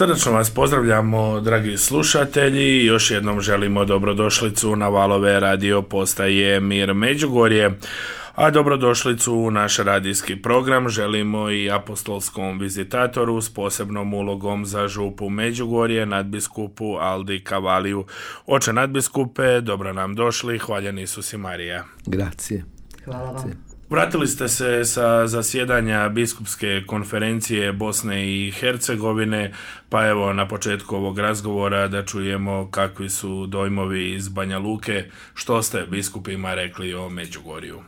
Srdačno vas pozdravljamo, dragi slušatelji, još jednom želimo dobrodošlicu na valove radio postaje Mir Međugorje, a dobrodošlicu u naš radijski program želimo i apostolskom vizitatoru s posebnom ulogom za župu Međugorje, nadbiskupu Aldi Cavaliju. Oče nadbiskupe, dobro nam došli, hvaljen Isus i Marija. Grazie. Hvala vam. Vratili ste se sa zasjedanja biskupske konferencije Bosne i Hercegovine, pa evo na početku ovog razgovora da čujemo kakvi su dojmovi iz Banja Luke, što ste biskupima rekli o Međugorju.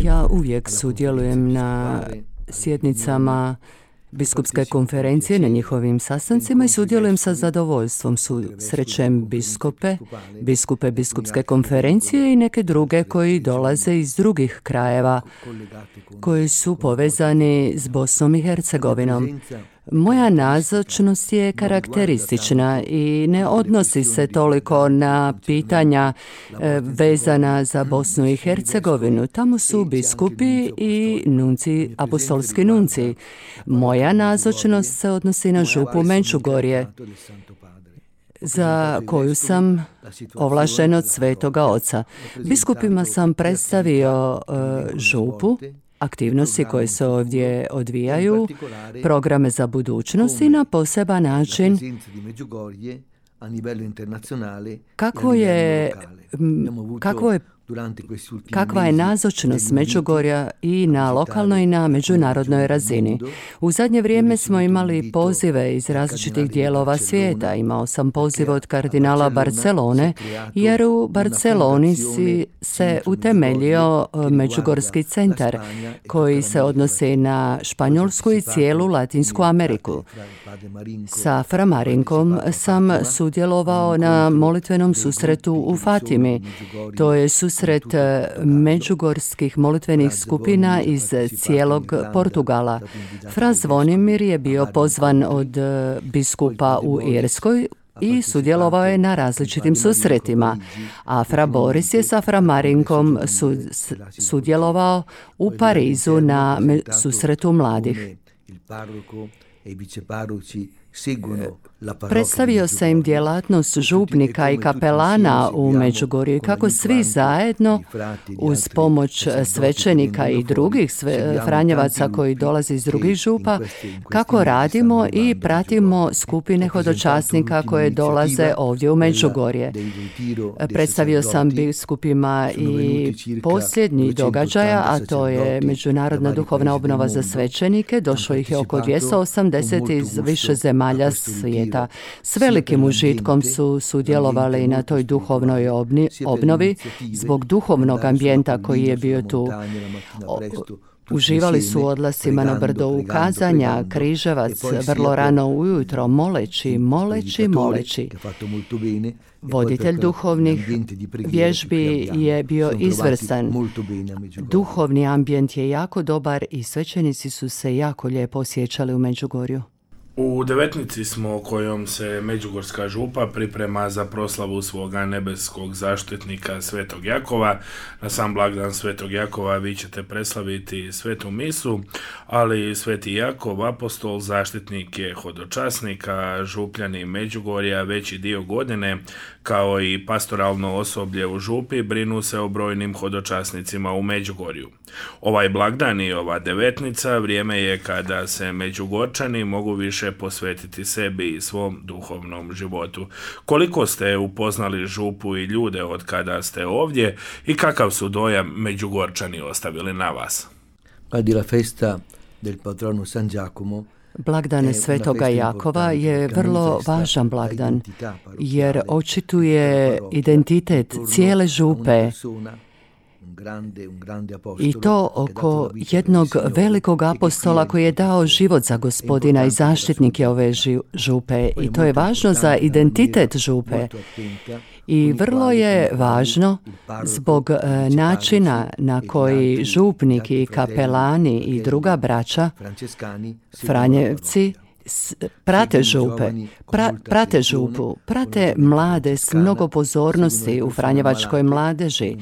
Ja uvijek sudjelujem na sjednicama biskupske konferencije, na njihovim sastancima i sudjelujem sa zadovoljstvom. Srećem biskupe biskupske konferencije i neke druge koji dolaze iz drugih krajeva koji su povezani s Bosnom i Hercegovinom. Moja nazočnost je karakteristična i ne odnosi se toliko na pitanja vezana za Bosnu i Hercegovinu. Tamo su biskupi i nunci, apostolski nunci. Moja nazočnost se odnosi na župu Međugorje, za koju sam ovlašten od Svetoga Oca. Biskupima sam predstavio župu, aktivnosti koje se ovdje odvijaju, programe za budućnost i na poseban način kakva je nazočnost Međugorja i na lokalnoj i na međunarodnoj razini. U zadnje vrijeme smo imali pozive iz različitih dijelova svijeta. Imao sam poziv od kardinala Barcelone, jer u Barceloni se utemeljio Međugorski centar koji se odnosi na Španjolsku i cijelu Latinsku Ameriku. Sa Fra Marinkom sam sudjelovao na molitvenom susretu u Fatimi. To je susret međugorskih molitvenih skupina iz cijelog Portugala. Fra Zvonimir je bio pozvan od biskupa u Irskoj i sudjelovao je na različitim susretima, a Fra Boris je sa Fra Marinkom sudjelovao u Parizu na susretu mladih. Predstavio sam im djelatnost župnika i kapelana u Međugorju i kako svi zajedno uz pomoć svećenika i drugih franjevaca koji dolaze iz drugih župa, kako radimo i pratimo skupine hodočasnika koje dolaze ovdje u Međugorje. Predstavio sam biskupima i posljednji događaja, a to je Međunarodna duhovna obnova za svećenike. Došlo ih je oko 280 iz više zemalja svijeta. S velikim užitkom su sudjelovali na toj duhovnoj obnovi zbog duhovnog ambijenta koji je bio tu. Uživali su u odlascima na brdo ukazanja, Križevac, vrlo rano ujutro, moleći. Voditelj duhovnih vježbi je bio izvrstan. Duhovni ambijent je jako dobar i svećenici su se jako lijepo osjećali u Međugorju. U devetnici smo kojom se Međugorska župa priprema za proslavu svoga nebeskog zaštitnika Svetog Jakova. Na sam blagdan Svetog Jakova vi ćete preslaviti svetu misu, ali Sveti Jakov, apostol, zaštitnik je hodočasnika, župljani Međugorja veći dio godine, kao i pastoralno osoblje u župi, brinu se o brojnim hodočasnicima u Međugorju. Ovaj blagdan i ova devetnica vrijeme je kada se Međugorčani mogu više posvetiti sebi i svom duhovnom životu. Koliko ste upoznali župu i ljude od kada ste ovdje i kakav su dojam Međugorčani ostavili na vas? Blagdan Svetoga Jakova je vrlo važan blagdan jer očituje identitet cijele župe i to oko jednog velikog apostola koji je dao život za Gospodina i zaštitnik je ove župe i to je važno za identitet župe. I vrlo je važno zbog načina na koji župnik i kapelani i druga braća, Franjevci, prate župu, prate mlade s mnogo pozornosti u franjevačkoj mladeži,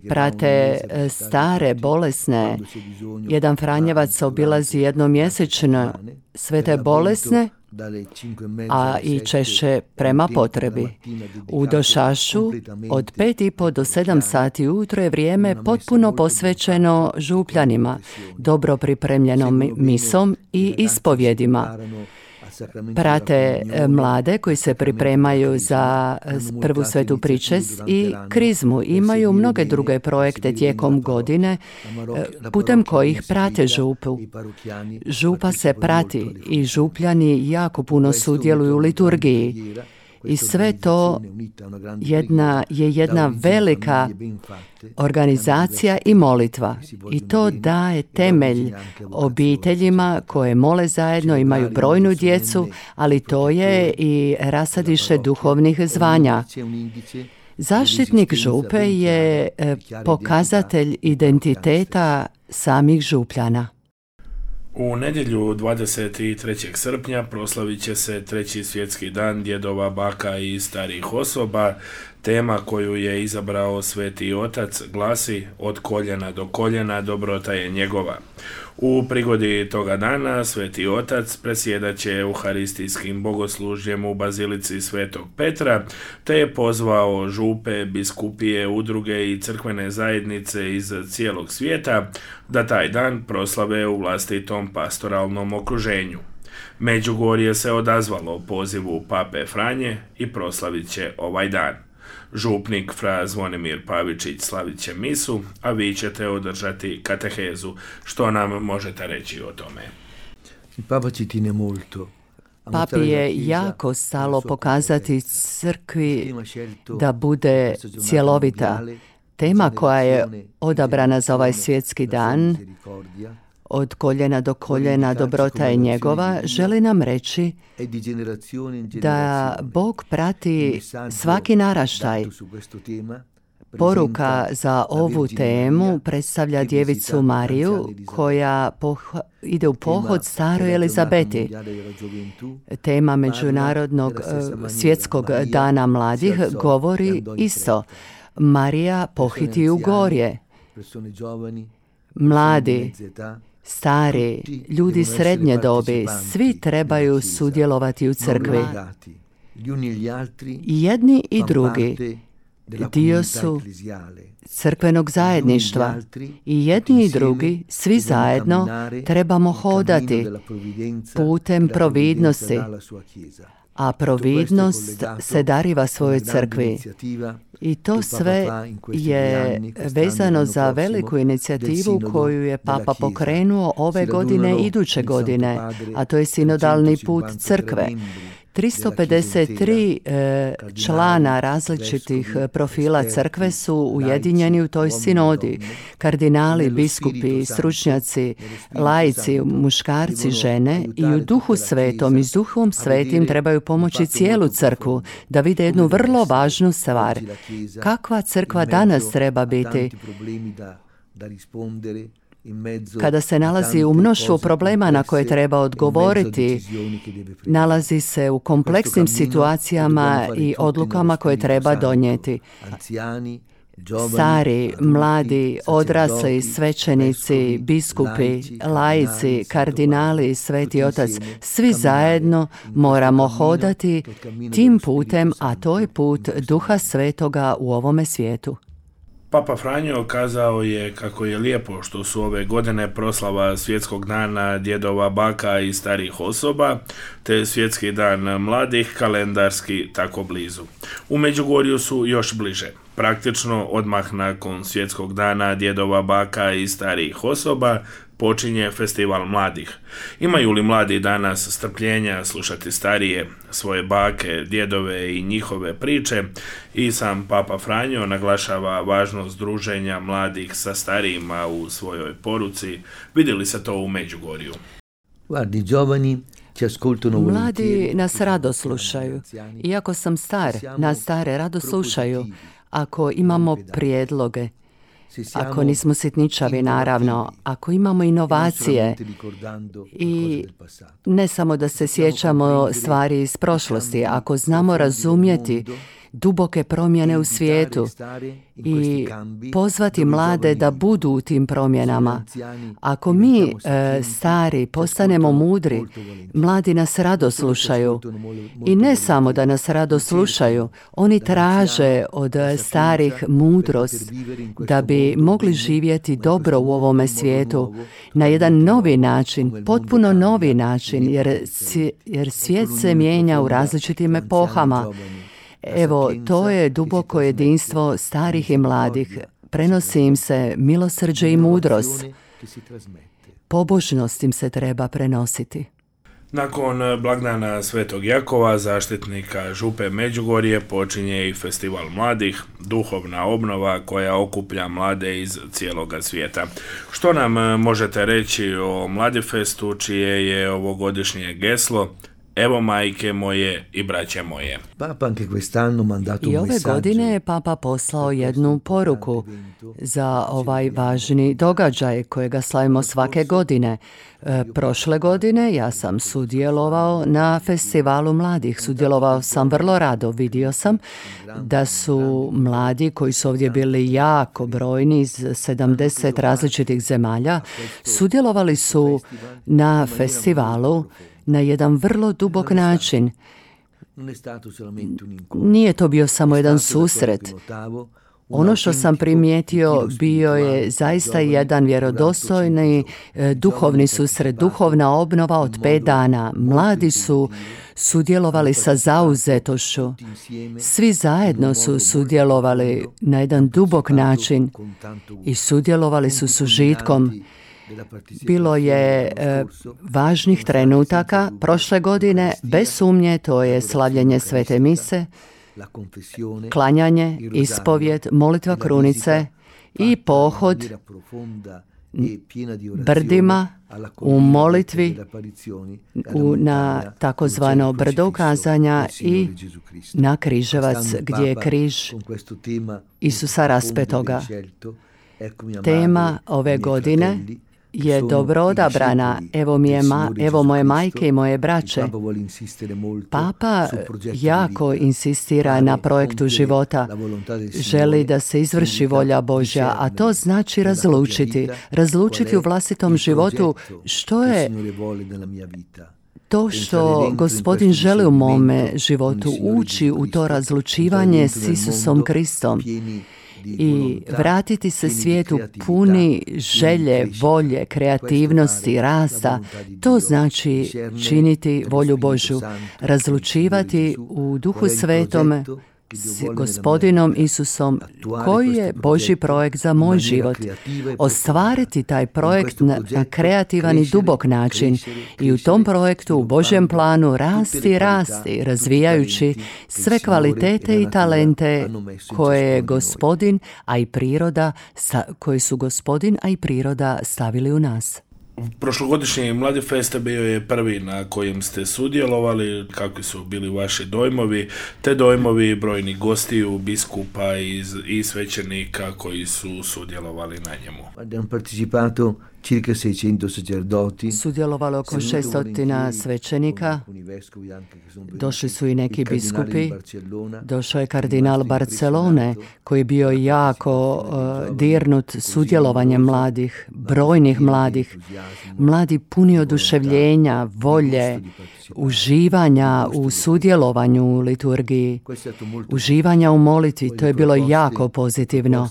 prate stare, bolesne. Jedan franjevac obilazi jednom mjesečno sve te bolesne, a i češće prema potrebi. U Došašu od 5:30 do 7 sati ujutro je vrijeme potpuno posvećeno župljanima, dobro pripremljenom misom i ispovjedima. Prate mlade koji se pripremaju za prvu svetu pričest i krizmu. Imaju mnoge druge projekte tijekom godine putem kojih prate župu. Župa se prati i župljani jako puno sudjeluju u liturgiji. I sve to je jedna velika organizacija i molitva. I to daje temelj obiteljima koje mole zajedno, imaju brojnu djecu, ali to je i rasadiše duhovnih zvanja. Zaštitnik župe je pokazatelj identiteta samih župljana. U nedjelju 23. srpnja proslavit će se 3. svjetski dan djedova, baka i starijih osoba. Tema koju je izabrao Sveti Otac glasi: od koljena do koljena dobrota je njegova. U prigodi toga dana Sveti Otac predsjedat će euharistijskim bogoslužjem u Bazilici Svetog Petra, te je pozvao župe, biskupije, udruge i crkvene zajednice iz cijelog svijeta da taj dan proslave u vlastitom pastoralnom okruženju. Međugorje se odazvalo pozivu Pape Franje i proslavit će ovaj dan. Župnik fra Zvonimir Pavičić slavit će misu, a vi ćete održati katehezu. Što nam možete reći o tome? Papi je jako stalo pokazati crkvi da bude cjelovita. Tema koja je odabrana za ovaj svjetski dan, od koljena do koljena dobrota je njegova, želi nam reći da Bog prati svaki naraštaj. Poruka za ovu temu predstavlja djevicu Mariju koja ide u pohod staroj Elizabeti. Tema Međunarodnog svjetskog dana mladih govori isto. Marija pohiti u gorje. Mladi, stari, ljudi srednje dobi, svi trebaju sudjelovati u crkvi. I jedni i drugi dio su crkvenog zajedništva. I jedni i drugi, svi zajedno, trebamo hodati putem providnosti. A providnost se dariva svojoj crkvi. I to sve je vezano za veliku inicijativu koju je Papa pokrenuo ove godine i iduće godine, a to je sinodalni put crkve. 353 člana različitih profila crkve su ujedinjeni u toj sinodi. Kardinali, biskupi, stručnjaci, laici, muškarci, žene i u duhu svetom i s duhom svetim trebaju pomoći cijelu crkvu da vide jednu vrlo važnu stvar. Kakva crkva danas treba biti? Kada se nalazi u mnoštvu problema na koje treba odgovoriti, nalazi se u kompleksnim situacijama i odlukama koje treba donijeti. Stari, mladi, odrasli, svećenici, biskupi, laici, kardinali, Sveti Otac, svi zajedno moramo hodati tim putem, a to je put Duha Svetoga u ovome svijetu. Papa Franjo kazao je kako je lijepo što su ove godine proslava svjetskog dana djedova, baka i starijih osoba, te svjetski dan mladih kalendarski tako blizu. U Međugorju su još bliže. Praktično odmah nakon svjetskog dana djedova, baka i starijih osoba počinje festival mladih. Imaju li mladi danas strpljenja slušati starije, svoje bake, djedove i njihove priče? I sam Papa Franjo naglašava važnost druženja mladih sa starijima u svojoj poruci. Vidjeli se to u Međugorju. Mladi nas rado slušaju. Iako sam star, nas stare rado slušaju. Ako imamo prijedloge, ako nismo sitničavi, naravno, ako imamo inovacije i ne samo da se sjećamo stvari iz prošlosti, ako znamo razumjeti duboke promjene u svijetu i pozvati mlade da budu u tim promjenama. Ako mi stari postanemo mudri, mladi nas rado slušaju. I ne samo da nas rado slušaju, oni traže od starih mudrost da bi mogli živjeti dobro u ovome svijetu na jedan novi način, potpuno novi način, jer svijet se mijenja u različitim epohama. Evo, to je duboko jedinstvo starih i mladih. Prenosi im se milosrđe i mudrost. Pobožnost im se treba prenositi. Nakon blagdana Svetog Jakova, zaštitnika Župe Međugorje, počinje i Festival mladih, duhovna obnova koja okuplja mlade iz cijeloga svijeta. Što nam možete reći o Mladifestu, čije je ovogodišnje geslo Evo majke moje i braće moje? I ove godine je Papa poslao jednu poruku za ovaj važni događaj kojega slavimo svake godine. Prošle godine ja sam sudjelovao na Festivalu mladih. Sudjelovao sam vrlo rado. Vidio sam da su mladi koji su ovdje bili jako brojni iz 70 različitih zemalja, sudjelovali su na festivalu na jedan vrlo dubok način. Nije to bio samo jedan susret. Ono što sam primijetio bio je zaista jedan vjerodostojni duhovni susret, duhovna obnova od 5 dana. Mladi su sudjelovali sa zauzetošću. Svi zajedno su sudjelovali na jedan dubok način i sudjelovali su s užitkom. Bilo je važnih trenutaka prošle godine, bez sumnje, to je slavljenje Svete mise, klanjanje, ispovjed, molitva krunice i pohod brdima u molitvi na takozvano brdo ukazanja i na križevac gdje je križ Isusa raspetoga. Tema ove godine je dobro odabrana. Evo moje majke i moje braće. Papa jako insistira na projektu života. Želi da se izvrši volja Božja, a to znači razlučiti u vlastitom životu što je to što Gospodin želi u mome životu, ući u to razlučivanje s Isusom Kristom i vratiti se svijetu puni želje, volje, kreativnosti, rasta. To znači činiti volju Božju, razlučivati u Duhu Svetome s Gospodinom Isusom koji je Božji projekt za moj život. Ostvariti taj projekt na kreativan i dubok način i u tom projektu, u Božjem planu, rasti, razvijajući sve kvalitete i talente koje je Gospodin, a i priroda, koji su Gospodin, a i priroda stavili u nas. Prošlogodišnji Mladifest bio je prvi na kojem ste sudjelovali. Kakvi su bili vaši dojmovi, te dojmovi brojnih gostiju, biskupa i svećenika koji su sudjelovali na njemu? Circa 600 sacerdoti. Sudjelovalo oko 600 svećenika, došli su i neki biskupi, došao je kardinal Barcelone koji je bio jako dirnut sudjelovanjem mladih, brojnih mladih, mladi puni oduševljenja, volje, uživanja u sudjelovanju u liturgiji, uživanja u molitvi. To je bilo jako pozitivno.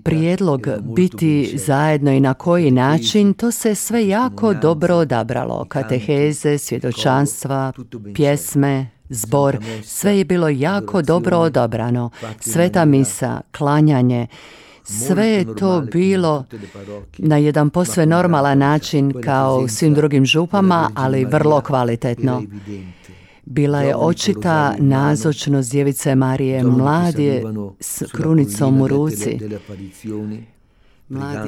Prijedlog biti zajedno i na koji način, to se sve jako dobro odabralo. Kateheze, svjedočanstva, pjesme, zbor, sve je bilo jako dobro odabrano. Sveta misa, klanjanje, sve je to bilo na jedan posve normalan način kao u svim drugim župama, ali vrlo kvalitetno. Bila je očita nazočnost Djevice Marije, mladi s krunicom u ruci.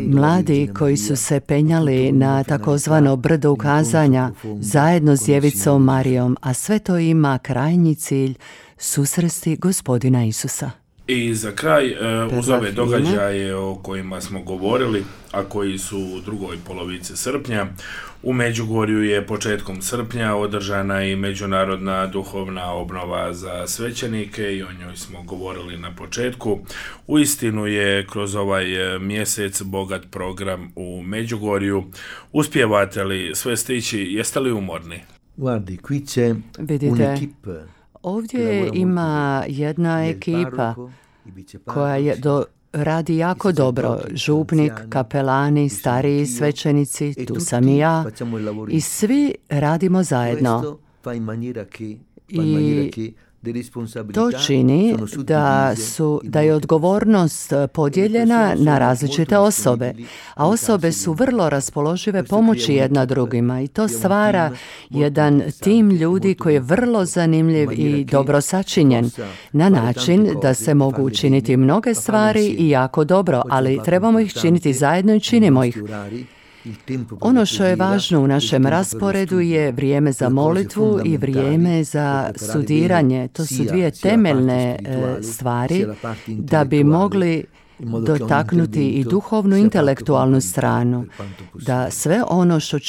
Mladi koji su se penjali na takozvano brdo ukazanja zajedno s Djevicom Marijom, a sve to ima krajnji cilj susresti Gospodina Isusa. I za kraj, uz ove događaje o kojima smo govorili, a koji su u drugoj polovici srpnja, u Međugorju je početkom srpnja održana i međunarodna duhovna obnova za svećenike i o njoj smo govorili na početku. Uistinu je kroz ovaj mjesec bogat program u Međugorju. Uspijevate li sve stići? Jeste li umorni? Guardi, qui c'è un'equipe. Ovdje ima jedna ekipa koja radi jako dobro. Župnik, kapelani, stariji svećenici, tu sam i ja. I svi radimo zajedno. I to čini da je odgovornost podijeljena na različite osobe, a osobe su vrlo raspoložive pomoći jedna drugima i to stvara jedan tim ljudi koji je vrlo zanimljiv i dobro sačinjen, na način da se mogu učiniti mnoge stvari i jako dobro, ali trebamo ih činiti zajedno i činimo ih. Ono što je važno u našem rasporedu je vrijeme za molitvu i vrijeme za studiranje. To su dvije temeljne stvari da bi mogli dotaknuti i duhovnu intelektualnu stranu, da sve ono što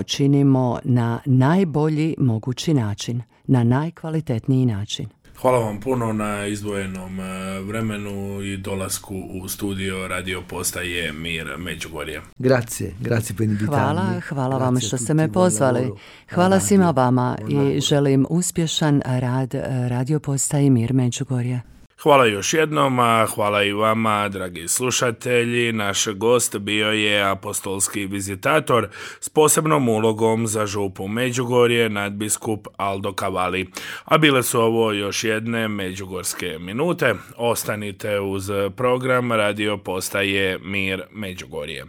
činimo na najbolji mogući način, na najkvalitetniji način. Hvala vam puno na izdvojenom vremenu i dolasku u studio radio postaje Mir Međugorje. Grazie per invitarmi. Hvala vam što ste me pozvali. Hvala svima vama i želim uspješan rad radio postaje Mir Međugorje. Hvala još jednom, a hvala i vama, dragi slušatelji. Naš gost bio je apostolski vizitator s posebnom ulogom za župu Međugorje, nadbiskup Aldo Cavalli. A bile su ovo još jedne međugorske minute. Ostanite uz program radio postaje Mir Međugorje.